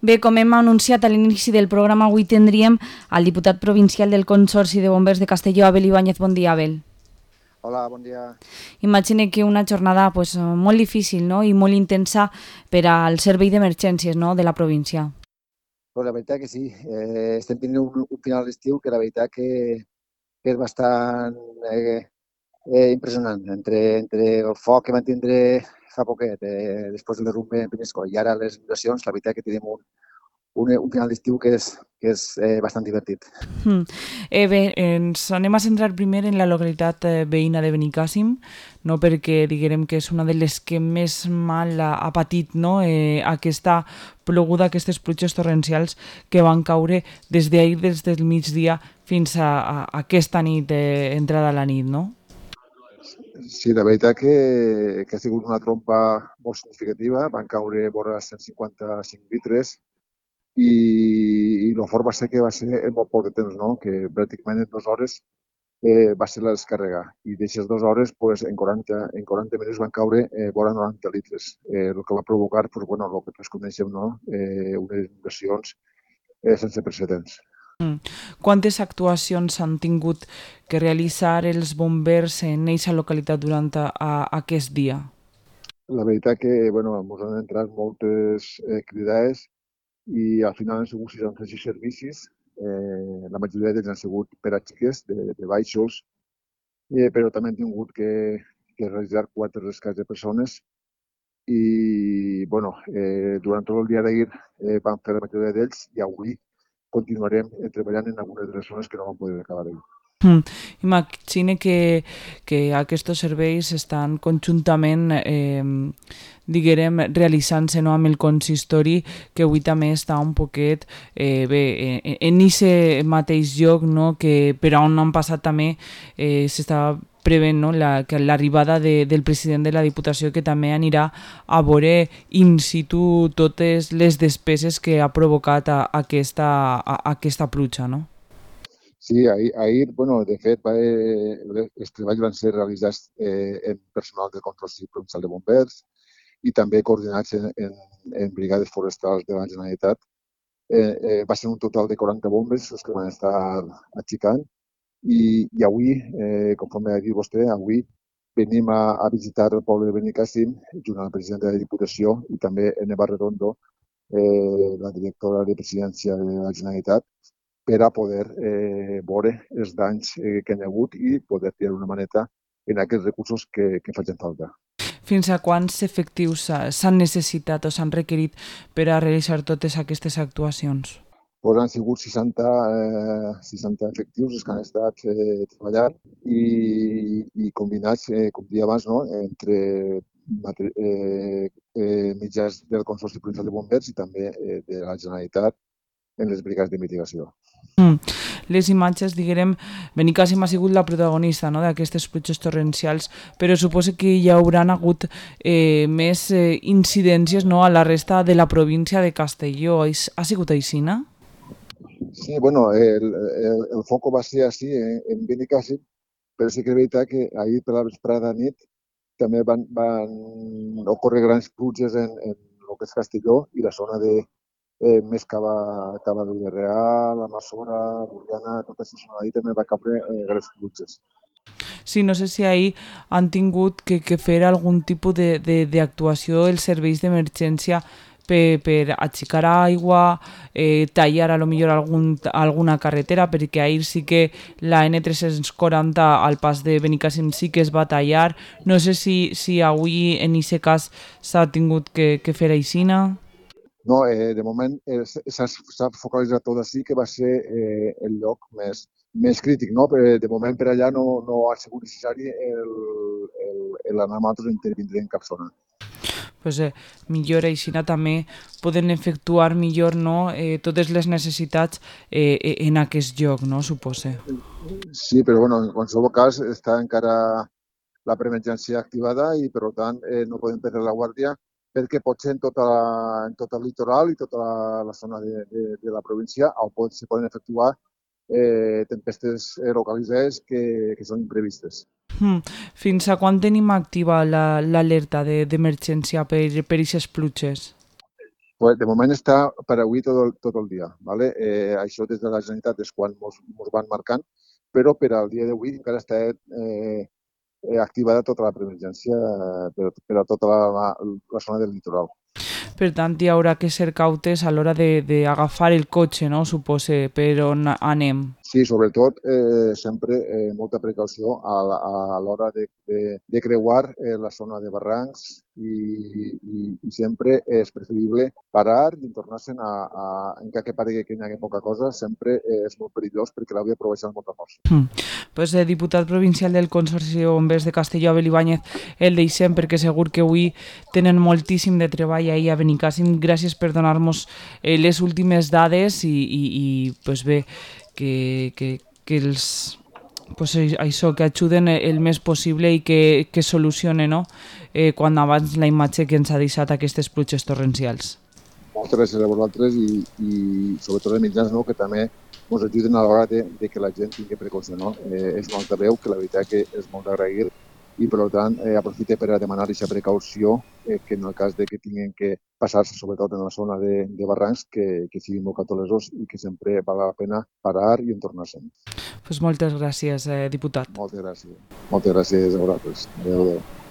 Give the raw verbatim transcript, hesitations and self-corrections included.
Bé, com hem anunciat a l'inici del programa, avui tindríem el diputat provincial del Consorci de Bombers de Castelló, Abel Ibáñez. Bon dia, Abel. Hola, bon dia. Imagine que una jornada pues, molt difícil, no? I molt intensa per al servei d'emergències, no? De la província. Pues la veritat que sí, eh, estem tenint un, un final d'estiu que la veritat que, que és bastant eh, eh, impressionant. Entre, entre el foc que vam tindre fa poquet, eh, després del derrumbe en Penyescoll i ara les inundacions, la veritat que tenim un, un, un final d'estiu que és, que és eh, bastant divertit. Mm. Eh, bé, ens anem a centrar primer en la localitat eh, veïna de Benicàssim, no? Perquè diguem que és una de les que més mal ha, ha patit, no? eh, aquesta ploguda, aquestes pluges torrencials que van caure des d'ahir, des del migdia fins a, a, a aquesta nit, eh, entrada a la nit, no? Sí, la veritat que, que ha sigut una trompa molt significativa. Van caure vora cent cinquanta-cinc litres i, i el fort va ser que va ser en molt poc de temps, no? Que pràcticament en dues hores eh, va ser la descàrrega. I d'aquestes dues hores, pues, en, quaranta, en quaranta minuts van caure eh, vora noranta litres, eh, el que va provocar pues, bueno, el que tots coneixem, no? eh, unes inundacions eh, sense precedents. Mm. Quantes actuacions han tingut que realitzar els bombers en aquesta localitat durant a, a, aquest dia? La veritat que bueno, ens han entrat moltes eh, cridades i al final han sigut seixanta-sis servicis. Eh, la majoria d'ells han sigut per a xiques de, de baixos, eh, però també hem tingut que, que realitzar quatre rescats de persones i bueno, eh, durant tot el dia d'ahir eh, vam fer la majoria d'ells i avui continuarem treballant en algunes de les zones que no vam poder acabar ahir. Mm. Imagine que, que aquests serveis estan conjuntament eh, diguem, realitzant-se, no, amb el consistori, que avui també està un poquet eh, bé, eh, en aquest mateix lloc, no, que per on han passat també eh, s'està prevent, no, la, que l'arribada de, del president de la Diputació, que també anirà a veure in situ totes les despeses que ha provocat a, a aquesta, a, a aquesta pluja, no? Sí, ahir, ahir bueno, de fet, va, eh, els treballs van ser realitzats eh, en personal del Consorci Provincial de Bombers i també coordinats en, en, en brigades forestals de la Generalitat. Eh, eh, va ser un total de quaranta bombes els que van estar aixecant i, i avui, eh, conforme ha dit vostè, avui venim a, a visitar el poble de Benicàssim junt amb el president de la Diputació i també en Eva Redondo, eh, la directora de Presidència de la Generalitat, per a poder eh, veure els danys eh, que hi ha hagut i poder tirar una maneta en aquests recursos que, que facin falta. Fins a quants efectius s'han necessitat o s'han requerit per a realitzar totes aquestes actuacions? Pues han sigut seixanta, eh, seixanta efectius els que han estat eh, treballant i, i combinats, eh, com dia abans, no? entre eh, eh, mitjans del Consorci Provincial de Bombers i també eh, de la Generalitat en les brigades de mitigació. Mm. Les imatges, diguem, Benicàssim ha sigut la protagonista, no, d'aquestes pluges torrencials, però suposo que hi hauran hagut eh, més eh, incidències, no, a la resta de la província de Castelló. Ha sigut així, no? Sí, bueno, el, el, el foco va ser així en, en Benicàssim, però sí que és veritat que ahir per la vesprada nit també van, van ocórrer grans pluges en, en el que és Castelló i la zona de eh, més cap a, cap a Villarreal, la Massora, Borriana, tota aquesta zona d'ahir també va caure eh, grans pluges. Sí, no sé si ahir han tingut que, que fer algun tipus d'actuació els serveis d'emergència per, per aixecar aigua, eh, tallar a lo millor algun, alguna carretera, perquè ahir sí que la N tres-cents quaranta al pas de Benicàssim sí que es va tallar. No sé si, si avui en aquest cas s'ha tingut que, que fer aixina. No, eh, de moment eh, s'ha focalitzat tot així, que va ser eh, el lloc més, més crític, no? Però de moment per allà no, no ha sigut necessari l'anar amb altres intervindre en cap zona. Pues, eh, millor així també poden efectuar millor, no, eh, totes les necessitats eh, en aquest lloc, no, supose. Sí, però bueno, en qualsevol cas està encara la preemergència activada i per tant eh, no podem perdre la guàrdia perquè potser en, tota la, en tot el litoral i tota la, la zona de, de, de la província on pot, se poden efectuar eh, tempestes localitzades que, que són imprevistes. Hmm. Fins a quan tenim activa l'alerta la, d'emergència per per aquestes pluges? Pues de moment està per avui tot el, tot el dia. ¿Vale? Eh, això des de la Generalitat és quan ens van marcant, però per al dia d'avui encara està eh, activada tota la preemergència eh, per, per a tota la, la zona del litoral. Per tant, hi haurà que ser cautes a l'hora d'agafar el cotxe, no? Supose, per on anem. Sí, sobretot eh, sempre eh, molta precaució a, a l'hora de, de, de creuar eh, la zona de barrancs i, i, i sempre és preferible parar i tornar-se'n a, a, encara que paregui que hi hagi poca cosa, sempre eh, és molt perillós perquè l'havia aprovechat amb molta força. Mm. Pues, eh, diputat provincial del Consorci de Bombers de Castelló, Abel Ibáñez, el deixem perquè segur que avui tenen moltíssim de treball ahir a Benicàssim. Gràcies per donar-nos eh, les últimes dades i, i, i pues bé, que, que, que els pues això, que ajuden el més possible i que, que solucione, no? eh, quan abans la imatge que ens ha deixat aquestes pluges torrencials. Moltes gràcies a vosaltres i, i sobretot a mitjans no, que també ens ajuden a l'hora de, de que la gent tingui precaució. No? Eh, és molt veu que la veritat que és molt d'agrair i per tant eh, aprofite per a demanar aquesta precaució eh, que en el cas de que tinguin que passar-se sobretot en la zona de, de barrancs que, que siguin molt cautelosos i que sempre val la pena parar i entornar-se'n. Pues moltes gràcies, eh, diputat. Moltes gràcies. Moltes gràcies a vosaltres. Adéu, adéu.